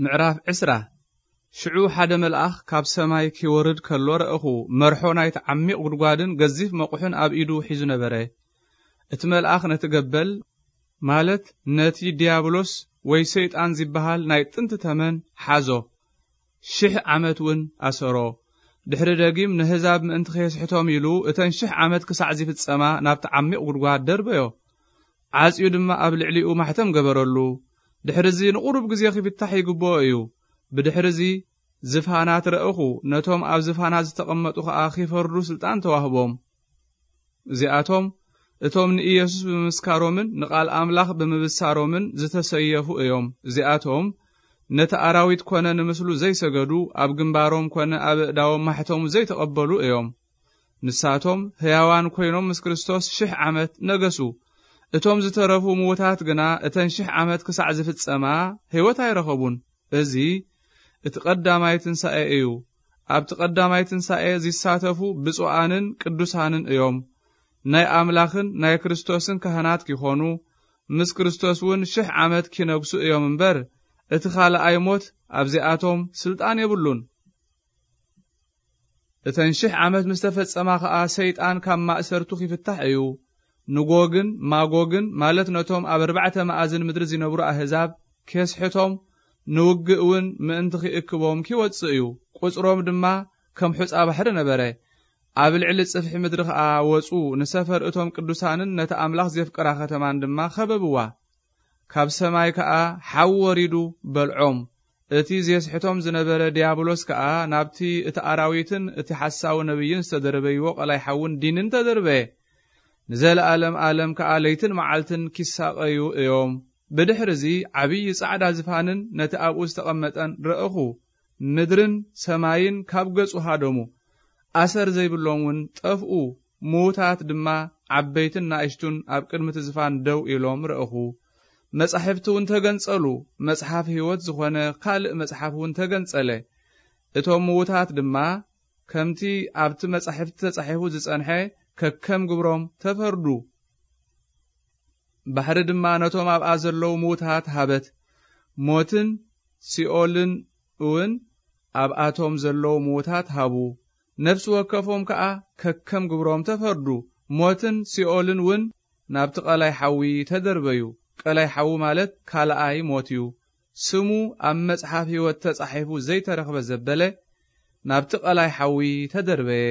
ምዕራፍ ዕስራ። ሽዑ ሓደ መልኣኽ ካብ ሰማይ ኪወርድ ከሎ ረእኹ። መርሖ ናይቲ ዓሚቕ ጉድጓድን ገዚፍ መቑሕን ኣብ ኢዱ ሒዙ ነበረ። እቲ መልኣኽ ነቲ ገበል፣ ማለት ነቲ ዲያብሎስ ወይ ሰይጣን ዝበሃል ናይ ጥንቲ ተመን ሓዞ። ሽሕ ዓመት እውን ኣሰሮ። ድሕሪ ደጊም ንህዛብ ምእንቲ ከየስሕቶም ኢሉ እተን ሽሕ ዓመት ክሳዕ ዚፍጸማ ናብቲ ዓሚቕ ጉድጓድ ደርበዮ። ዓጽዩ ድማ ኣብ ልዕሊኡ ማሕተም ገበረሉ። ድሕርዚ ንቑሩብ ግዜ ኺፍታሕ ይግብኦ እዩ። ብድሕርዚ ዝፋናት ረእኹ፣ ነቶም ኣብ ዝፋናት ዝተቐመጡ ኸኣ ኺፈርዱ ስልጣን ተዋህቦም። እዚኣቶም እቶም ንኢየሱስ ብምምስካሮምን ንቓል ኣምላኽ ብምብሳሮምን ዝተሰየፉ እዮም። እዚኣቶም ነቲ ኣራዊት ኮነ ንምስሉ ዘይሰገዱ፣ ኣብ ግንባሮም ኮነ ኣብ ኣእዳዎም ማሕተሙ ዘይተቐበሉ እዮም። ንሳቶም ህያዋን ኮይኖም ምስ ክርስቶስ ሽሕ ዓመት ነገሱ። እቶም ዝተረፉ ምዉታት ግና እተን ሽሕ ዓመት ክሳዕ ዝፍጸማ ህይወት ኣይረኸቡን። እዚ እቲ ቀዳማይ ትንሳኤ እዩ። ኣብቲ ቀዳማይ ትንሳኤ ዚሳተፉ ብፁዓንን ቅዱሳንን እዮም። ናይ ኣምላኽን ናይ ክርስቶስን ካህናት ኪኾኑ፣ ምስ ክርስቶስ እውን ሽሕ ዓመት ኪነግሱ እዮም እምበር፣ እቲ ኻልኣይ ሞት ኣብዚኣቶም ስልጣን የብሉን። እተን ሽሕ ዓመት ምስ ተፈጸማ ኸኣ፣ ሰይጣን ካብ ማእሰርቱ ኺፍታሕ እዩ። ንጎግን ማጎግን፣ ማለት ነቶም ኣብ ኣርባዕተ መኣዝን ምድሪ ዚነብሩ ኣህዛብ፣ ኬስሕቶም፣ ንውግእ እውን ምእንቲ ኺእክቦም ኪወጽእ እዩ። ቁጽሮም ድማ ከም ሑጻ ባሕሪ ነበረ። ኣብ ልዕሊ ጽፍሒ ምድሪ ኸኣ ወጹ፣ ንሰፈር እቶም ቅዱሳንን ነቲ ኣምላኽ ዜፍቅራ ኸተማን ድማ ኸበብዋ። ካብ ሰማይ ከኣ ሓዊ ወሪዱ በልዖም። እቲ ዜስሕቶም ዝነበረ ዲያብሎስ ከኣ ናብቲ እቲ ኣራዊትን እቲ ሓሳዊ ነቢይን ዝተደርበይዎ ቀላይ ሓውን ዲንን ተደርበየ። ንዘለኣለም ኣለም ከኣ ለይትን መዓልትን ኪሳቐዩ እዮም። ብድሕርዚ ዓብዪ ጻዕዳ ዝፋንን ነቲ ኣብኡ ዝተቐመጠን ረእኹ። ምድርን ሰማይን ካብ ገጹ ሃደሙ። ኣሰር ዘይብሎም እውን ጠፍኡ። ምዉታት ድማ ዓበይትን ናእሽቱን ኣብ ቅድሚ እቲ ዝፋን ደው ኢሎም ረእኹ። መጻሕፍቲ እውን ተገንጸሉ። መጽሓፍ ህይወት ዝኾነ ካልእ መጽሓፍ እውን ተገንጸለ። እቶም ምዉታት ድማ ከምቲ ኣብቲ መጻሕፍቲ ተጻሒፉ ዝጸንሐ ከከም ግብሮም ተፈርዱ። ባሕሪ ድማ ነቶም ኣብኣ ዘለዉ ምዉታት ሃበት። ሞትን ሲኦልን እውን ኣብኣቶም ዘለዉ ምዉታት ሃቡ። ነፍሲ ወከፎም ከኣ ከከም ግብሮም ተፈርዱ። ሞትን ሲኦልን እውን ናብቲ ቀላይ ሓዊ ተደርበዩ። ቀላይ ሓዊ ማለት ካልኣይ ሞት እዩ። ስሙ ኣብ መጽሓፍ ህይወት ተጻሒፉ ዘይተረኽበ ዘበለ ናብቲ ቀላይ ሓዊ ተደርበየ።